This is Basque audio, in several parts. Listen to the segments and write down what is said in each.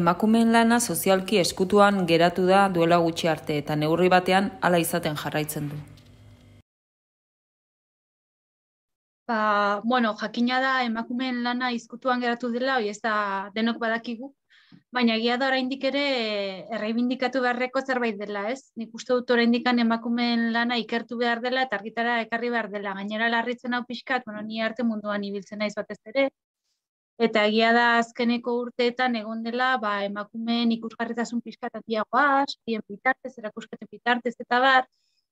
emakumeen lana sozialki eskutuan geratu da duela gutxi arte eta neurri batean hala izaten jarraitzen du. Jakina da emakumeen lana izkutuan geratu dela, hori ez da denok badakigu, baina egia da oraindik ere erreibindikatu beharreko zerbait dela, ez? Nik uste dut oraindik emakumeen lana ikertu behar dela eta argitara ekarri behar dela. Gainera larritzen hau pixkat, ni arte munduan ibiltzen naiz batez ere, eta egia da azkeneko urteetan egon dela emakumeen ikusgarritasun pixkat handiagoa, sarien bitartez, erakusketen bitartez eta bar,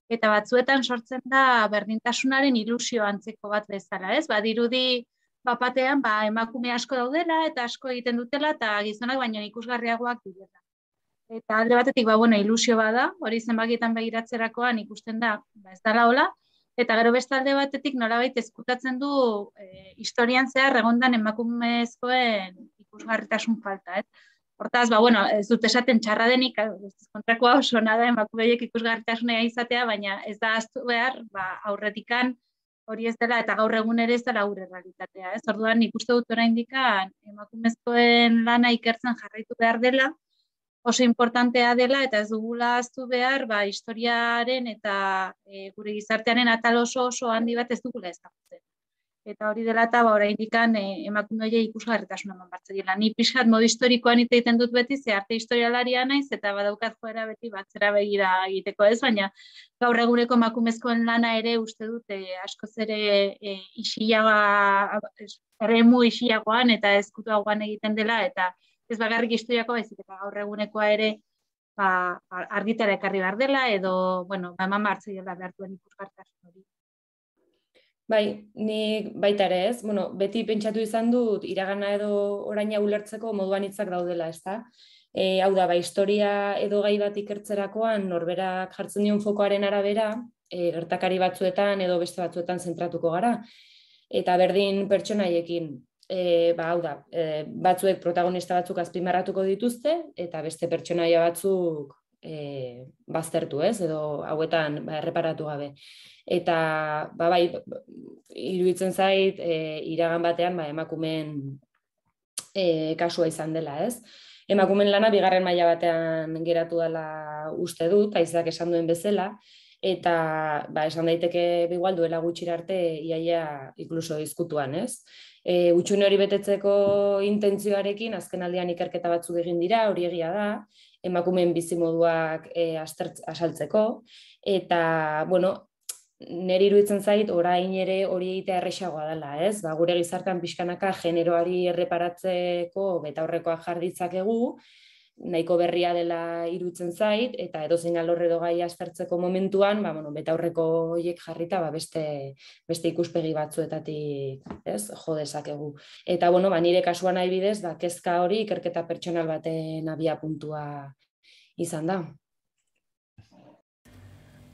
eta batzuetan sortzen da berdintasunaren ilusio antzeko bat bezala, ez? Badirudi bapatean emakume asko daudela eta asko egiten dutela eta gizonak baino ikusgarriagoak direla. Eta alde batetik ilusio bada, hori zenbakietan begiratzerakoan ikusten da, ez dela hola, eta gero beste alde batetik nolabait ezkutatzen du historian zehar egondan emakumezkoen ikusgarritasun falta, ez? Hortaz, ez dut esaten txarra denik, kontrakoa oso nada emakumeiek ikusgarritasuna izatea, baina ez da ahaztu behar, aurretikan hori ez dela, eta gaur egun ere ez dela gure realitatea. Ez orduan, nik uste dut oraindik emakumezkoen lana ikertzen jarraitu behar dela, oso importantea dela, eta ez dugula ahaztu behar, historiaren eta gure gizartearen atal oso handi bat ez dugula ezagutzen. Eta hori dela eta oraindik emakumeei ikusgarritasuna eman behar dela. Ni pixkat modu historikoan hitz egiten dut beti, ze arte historialaria naiz, eta badaukat joera beti batzera begira egiteko ez, baina gaur eguneko emakumezkoen lana ere uste dut askoz ere eremu isiagoan eta ezkutuagoan egiten dela, eta ez bakarrik historiako baizik, eta gaur egunekoa ere argitara ekarri behar dela, edo, eman behar dela behar duen ikusgarritasun hori. Bai, nik baita ere ez, beti pentsatu izan dut iragana edo oraina ulertzeko moduan hitzak daudela, ezta? Hau da, historia edo gai bat ikertzerakoan norberak jartzen dion fokoaren arabera, gertakari batzuetan edo beste batzuetan zentratuko gara. Eta berdin pertsonaiekin, batzuek protagonista batzuk azpimarratuko dituzte, eta beste pertsonaia batzuk baztertu ez, edo hauetan erreparatu gabe. Eta iruditzen zait iragan batean emakumeen kasua izan dela, ez? Emakumeen lana bigarren maila batean geratu dela uste dut, Aizak esan duen bezala, eta esan daiteke igual duela gutxira arte iaia inkluso izkutuan, ez? Hutsune hori betetzeko intentzioarekin azken aldian ikerketa batzuk egin dira, hori egia da, emakumeen bizimoduak azaltzeko, eta, niri iruditzen zait, orain ere hori egitea errazagoa dela, ez? Gure gizartean pixkanaka generoari erreparatzeko betaurrekoak jar ditzakegu, nahiko berria dela iruditzen zait, eta edozein alor edo gai aztertzeko momentuan, betaurreko horiek jarrita beste ikuspegi batzuetatik, ez, jo dezakegu. Eta, nire kasuan nahi bidez, kezka hori ikerketa pertsonal baten abiapuntua izan da.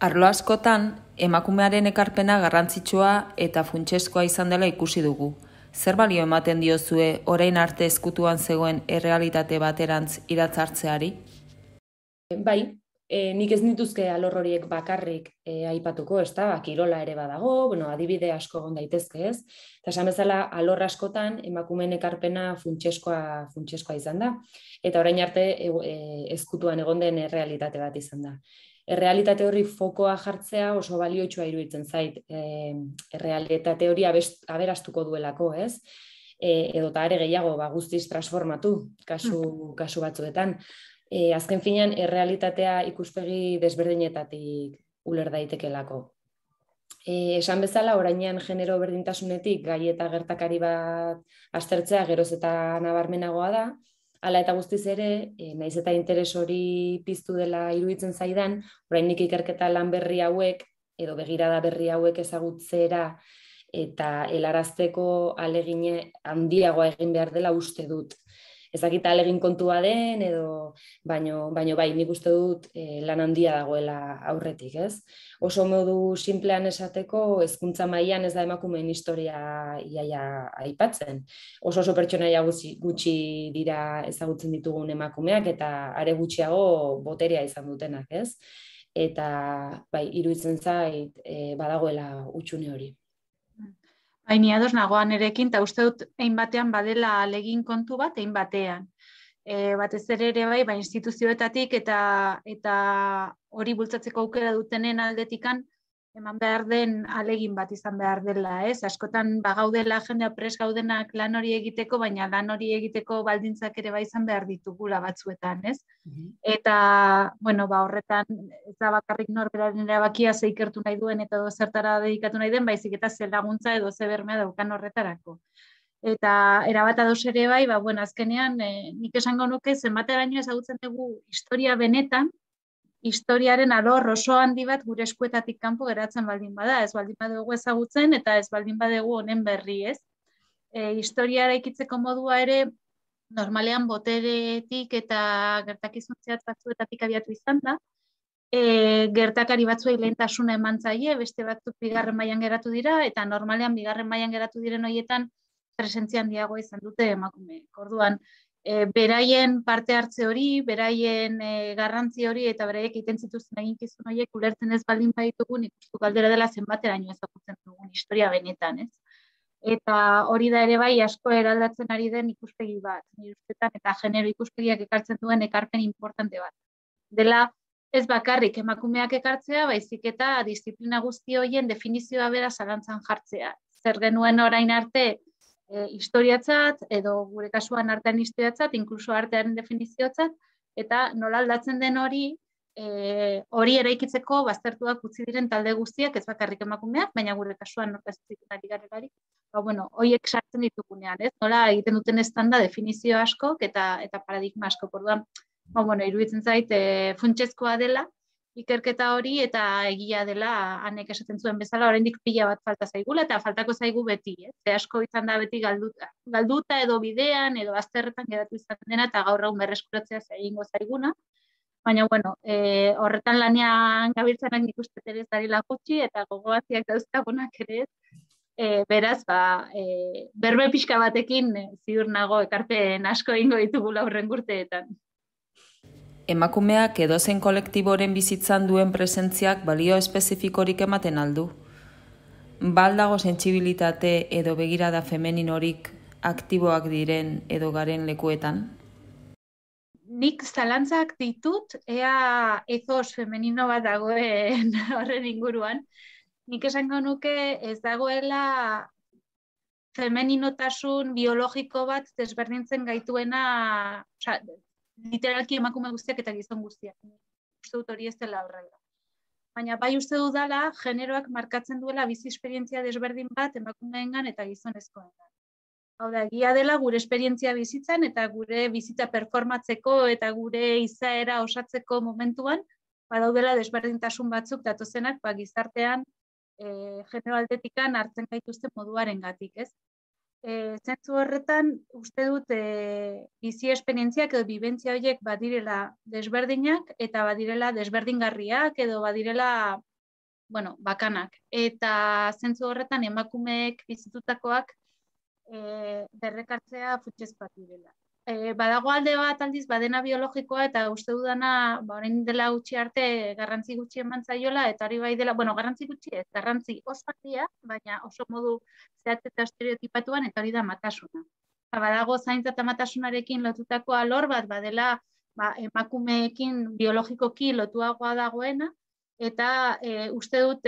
Arlo askotan, emakumearen ekarpena garrantzitsua eta funtsezkoa izan dela ikusi dugu. Zer balio ematen diozue orain arte ezkutuan zegoen errealitate baterantz iratzartzeari? Bai, nik ez nituzke alor horiek bakarrik aipatuko, ez da, kirola ere badago, adibide asko egon daitezke ez, eta esan bezala alor askotan emakumeen ekarpena funtsezkoa izan da, eta orain arte ezkutuan egon den errealitate bat izan da. Errealitate hori fokoa jartzea oso balioitsua iruditzen zait, errealitate hori aberastuko duelako, ez? Edo eta are gehiago guztiz transformatu kasu batzuetan. Azken finean, errealitatea ikuspegi desberdinetatik uler daitekelako. Esan bezala, orainean genero berdintasunetik gai eta gertakari bat aztertzea geroz eta nabarmenagoa da, hala eta guztiz ere, naiz eta interes hori piztu dela iruditzen zaidan, oraindik ikerketa lan berri hauek, edo begirada berri hauek ezagutzera, eta helarazteko ahalegin handiagoa egin behar dela uste dut. Ez dakit ahalegin kontua den, baino bai, nik uste dut lan handia dagoela aurretik, ez? Oso modu simplean esateko, hezkuntza mailan ez da emakumeen historia iaia aipatzen. Oso pertsonaia gutxi dira ezagutzen ditugun emakumeak, eta are gutxiago boterea izan dutenak, ez? Eta bai, iruditzen zait badagoela hutsune hori. Ni ados nagoan erekin, eta uste dut egin batean badela ahalegin kontu bat, egin batean. batez ere bai, instituzioetatik eta hori bultzatzeko aukera dutenen aldetikan, eman behar den alegin bat izan behar dela, ez? Askotan gaudela jendea pres gaudenak lan hori egiteko, baina lan hori egiteko baldintzak ere bai izan behar ditugula batzuetan, ez? Eta, horretan, ez da bakarrik norberaren erabakia ze ikertu nahi duen eta zertara dedikatu nahi den, baizik eta ze laguntza edo ze bermea daukan horretarako. Eta erabat ados ere bai, azkenean, nik esango nuke zenbateraino ezagutzen dugu historia benetan, historiaren alor oso handi bat gure eskuetatik kanpo geratzen baldin bada, ez baldin badugu ezagutzen eta ez baldin badugu honen berri, ez? Historia eraikitzeko modua ere normalean boteretik eta gertakizun zehatz batzuetatik abiatu izan da, gertakari batzuei lehentasuna eman zaie, beste batzuk bigarren mailan geratu dira, eta normalean bigarren mailan geratu diren horietan presentzia handiagoa izan dute emakumeek. Orduan, beraien parte hartze hori, beraien garrantzi hori eta beraiek egiten zituzten eginkizun horiek ulertzen ez baldin baditugu, nik uste galdera dela zenbateraino ezagutzen dugun historia benetan, ez? Eta hori da ere bai asko eraldatzen ari den ikuspegi bat, nire ustetan, eta genero ikuspegiak ekartzen duen ekarpen importante bat. Dela ez bakarrik emakumeak ekartzea, baizik eta disiplina guzti horien definizioa bera zalantzan jartzea. Zer genuen orain arte historiatzat, edo gure kasuan artean historiatzat, inkluso artearen definizioatzat, eta nola aldatzen den hori eraikitzeko baztertuak utzi diren talde guztiak, ez bakarrik emakumeak, baina gure kasuan nortaziziten ari garelarik, horiek sartzen ditugunean, ez? Nola egiten duten estanda definizio askok eta paradigma askok, orduan, iruditzen zait, funtsezkoa dela, ikerketa hori eta egia dela hanek esaten zuen bezala oraindik pila bat falta zaigula eta faltako zaigu beti, ze asko izan da beti galduta edo bidean edo bazterretan geratu izan dena eta gaur egun berreskuratzea egingo zaiguna, baina horretan lanean gabiltzanak nik uste ere ez darila gutxi eta gogoatziak dauzkagunak ere ez, beraz, berbe pixka batekin ziur nago ekarpen asko egingo ditugula hurrengo urteetan. Emakumeak edozein kolektiboren bizitzan duen presentziak balio espezifikorik ematen aldu. Baldago sentsibilitate edo begirada femeninorik aktiboak diren edo garen lekuetan? Nik zalantzak ditut, ea ethos femenino bat dagoen horren inguruan. Nik esango nuke ez dagoela femeninotasun biologiko bat desberdintzen gaituena, literalki emakume guztiak eta gizon guztiak. Uste dut hori ez dela horrela. Baina bai uste dudala, generoak markatzen duela bizi esperientzia desberdin bat emakumeengan eta gizonezkoengan. Hau da, egia dela gure esperientzia bizitzan eta gure bizitza performatzeko eta gure izaera osatzeko momentuan, badaudela desberdintasun batzuk datozenak gizartean genero aldetikan hartzen gaituzten moduarengatik, ez? Zentzu horretan, uste dut bizi esperientziak edo bibentzia horiek badirela desberdinak eta badirela desberdingarriak edo badirela bakanak. Eta zentzu horretan emakumeek bizitutakoak berrekartzea funtsezkoak direla. Badago alde bat aldiz badena biologikoa eta uste dudana orain dela gutxi arte garrantzi gutxi eman zaiola eta hori bai dela, garrantzi gutxi ez, garrantzi oso handia, baina oso modu zehatz eta estereotipatuan eta hori da matasuna. Badago zaintza eta matasunarekin lotutako alor bat badela emakumeekin biologikoki lotuagoa dagoena eta uste dut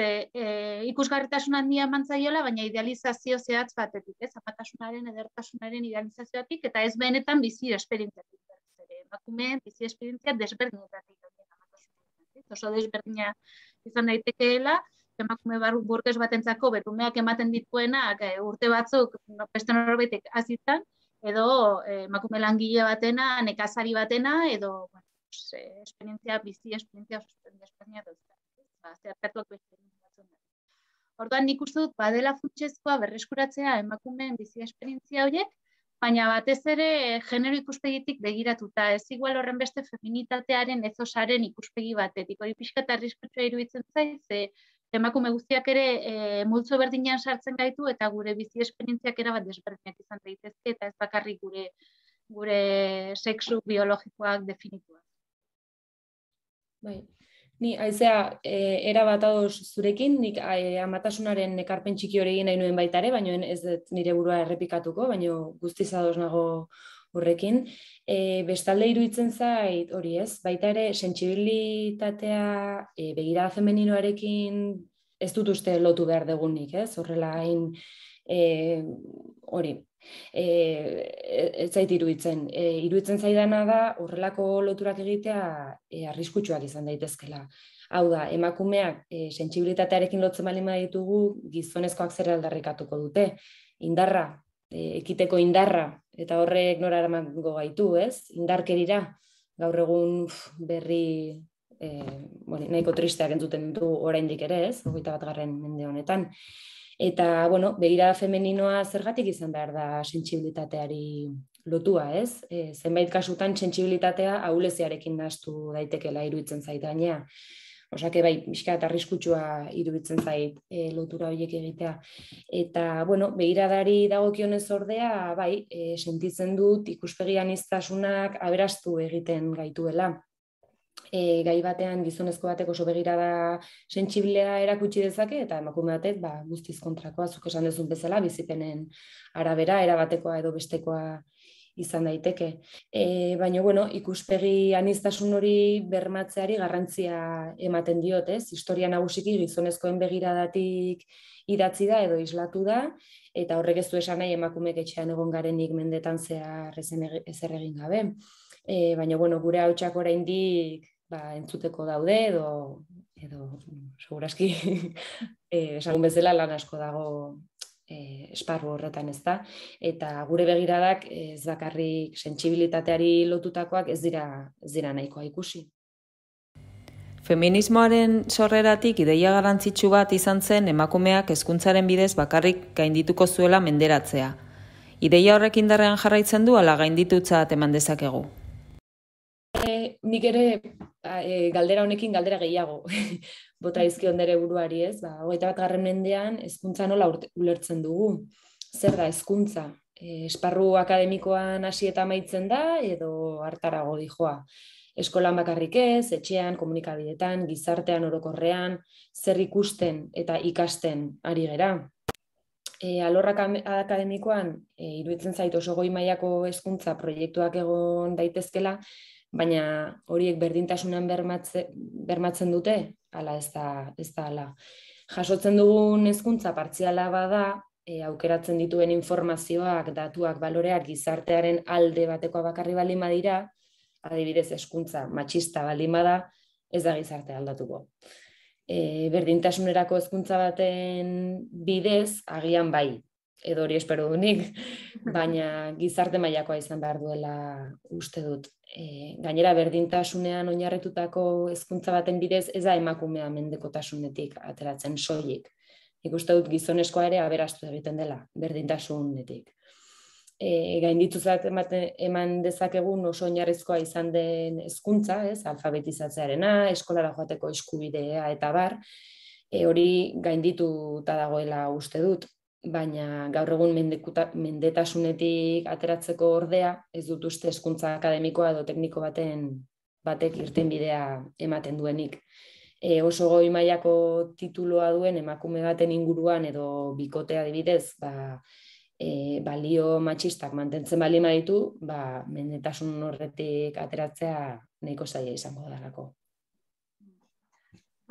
ikusgarritasun handia eman zaiola, baina idealizazio zehatz batetik, ez? Amatasunaren, edertasunaren idealizazioatik eta ez benetan bizi esperientziatik. Emakumeen bizi esperientzia desberdinetatik. Oso desberdina izan daitekeela, emakume burges batentzako berumeak ematen dituenak urte batzuk beste norbaitek hazitan, edo emakume langile batena, nekazari batena, edo bizi esperientzia desberdina dauzka. Orduan nik uste dut badela funtsezkoa berreskuratzea emakumeen bizi esperientzia horiek, baina batez ere genero ikuspegitik begiratuta, ez igual horren beste feminitatearen ezosaren ikuspegi batetik. Hori pixka eta arriskutsua iruditzen zaiz, emakume guztiak ere multzo berdinean sartzen gaitu eta gure bizi esperientziak erabat desberdinak izan daitezke eta ez bakarrik gure sexu biologikoak definituak. Bai. Ni, Aizea, erabat ados zurekin, nik amatasunaren ekarpen txiki hori egin nahi nuen baita ere, baina ez dut nire burua errepikatuko, baina guztiz ados nago horrekin. Bestalde iruditzen zait, hori ez, baita ere, sentsibilitatea begirada femeninoarekin ez dut uste lotu behar degunik, ez? Horrela hain, hori, ez zait iruditzen. Iruditzen zaidana da, horrelako loturak egitea arriskutsuak izan daitezkela. Hau da, emakumeak sentsibilitatearekin lotzen baldin baditugu, gizonezkoak zer aldarrikatuko dute. Indarra, ekiteko indarra, eta horrek nora eramango gaitu, ez? Indarkerira, gaur egun berri nahiko tristeak entzuten ditu oraindik ere, ez? 21. mende honetan. Eta, begirada femeninoa zergatik izan behar da sentsibilitateari lotua, ez? Zenbait kasutan sentsibilitatea ahuleziarekin nahastu daitekela iruditzen zait gainea. Osake bai, pixka eta arriskutsua iruditzen zait lotura horiek egitea. Eta, begiradari dagokionez ordea, bai, sentitzen dut ikuspegi aniztasunak aberastu egiten gaituela. Gai batean gizonezko batek oso begirada sentsiblea erakutsi dezake, eta emakume batek guztiz kontrakoa, zuk esan duzun bezala, bizipenen arabera, erabatekoa edo bestekoa izan daiteke. Baina, ikuspegi aniztasun hori bermatzeari garrantzia ematen diot, ez? Historia nagusiki gizonezkoen begiradatik idatzi da edo islatu da, eta horrek ez du esan nahi emakumeek etxean egon garenik mendetan zehar ezer egin gabe. Baina, gure hautsak oraindik entzuteko daude, edo segurazki esan bezala lan asko dago esparru horretan, ez da, eta gure begiradak ez bakarrik sentsibilitateari lotutakoak ez dira nahikoa ikusi. Feminismoaren sorreratik ideia garrantzitsu bat izan zen emakumeak hezkuntzaren bidez bakarrik gaindituko zuela menderatzea. Ideia horrek indarrean jarraitzen du ala gainditutzat eman dezakegu? Nik ere galdera honekin galdera gehiago bota dizkion nere buruari, ez? 21. mendean hezkuntza nola ulertzen dugu? Zer da hezkuntza? Esparru akademikoan hasi eta amaitzen da edo hartarago dijoa? Eskolan bakarrik ez, etxean, komunikabideetan, gizartean orokorrean, zer ikusten eta ikasten ari gera? Alorrak akademikoan iruditzen zait oso goi mailako hezkuntza proiektuak egon daitezkela, baina horiek berdintasunan bermatzen dute, ala ez da ala. Jasotzen dugun hezkuntza partziala bada, aukeratzen dituen informazioak, datuak, baloreak gizartearen alde batekoa bakarri baldin badira, adibidez hezkuntza matxista baldin bada, ez da gizartea aldatuko. Berdintasunerako hezkuntza baten bidez, agian bai, edo hori espero dunik, baina gizarte mailakoa izan behar duela uste dut. Gainera, berdintasunean oinarritutako hezkuntza baten bidez ez da emakumea mendekotasunetik ateratzen soilik. Ikuste dut gizonezkoa ere aberastu egiten dela, berdintasunetik. Gaindituzat eman dezakegun oso oinarrizkoa izan den hezkuntza, alfabetizatzearena, eskolara joateko eskubidea eta bar, hori gaindituta dagoela uste dut, baina gaur egun mendetasunetik ateratzeko ordea, ez dut uste hezkuntza akademikoa edo tekniko batek irtenbidea ematen duenik. Oso goi mailako titulua duen emakume baten inguruan edo bikotea adibidez, balio matxistak mantentzen baldin baditu, mendetasun horretik ateratzea nahiko zaila izango dalako.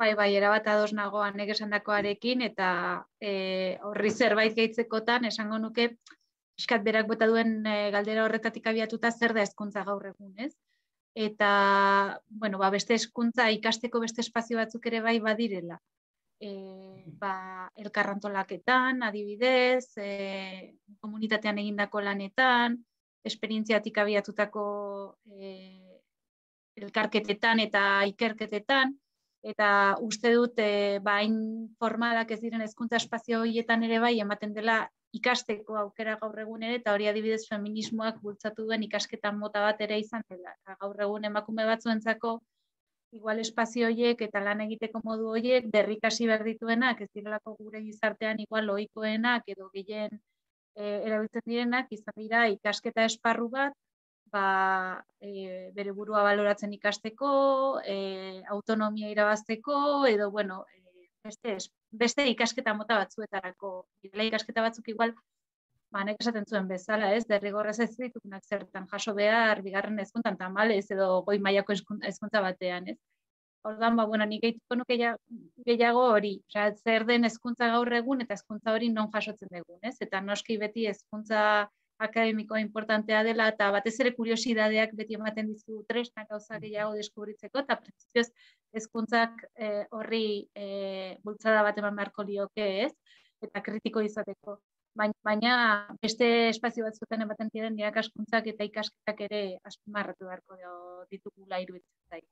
Bai, erabat ados nago nek esandakoarekin, eta horri zerbait gehitzekotan esango nuke pixkat berak bota duen galdera horretatik abiatuta zer da hezkuntza gaur egun, ez? Eta, beste hezkuntza ikasteko beste espazio batzuk ere bai badirela. Elkarrantolaketan, adibidez, komunitatean egindako lanetan, esperientziatik abiatutako elkarketetan eta ikerketetan, eta uste dut hain formalak ez diren hezkuntza espazio horietan ere bai ematen dela ikasteko aukera gaur egun ere, eta hori adibidez feminismoak bultzatu duen ikasketan mota bat ere izan dela. Gaur egun emakume batzuentzako igual espazio horiek eta lan egiteko modu horiek berrikasi behar dituenak, ez direlako gure gizartean igual ohikoenak edo gehien erabiltzen direnak, izan dira ikasketa esparru bat, bere burua baloratzen ikasteko, autonomia irabazteko, edo, beste ikasketa mota batzuetarako. Ikasketa batzuk igual nek esaten zuen bezala, ez, derrigorrez ez ditugunak zertan jaso behar, bigarren hezkuntzan tamalez edo goi mailako hezkuntza batean, ez. Orduan, nik gehituko nuke gehiago hori, zer den hezkuntza gaur egun eta hezkuntza hori non jasotzen dugun, ez? Eta noski beti hezkuntza akademikoa importantea dela eta batez ere kuriosidadeak beti ematen dizu tresnak gauza gehiago deskubritzeko eta printzipioz hezkuntzak horri bultzada bat eman beharko lioke, ez? Eta kritiko izateko. Baina beste espazio batzuetan ematen diren irakaskuntzak eta ikasketak ere azpimarratu beharko ditugula iruditzen zait.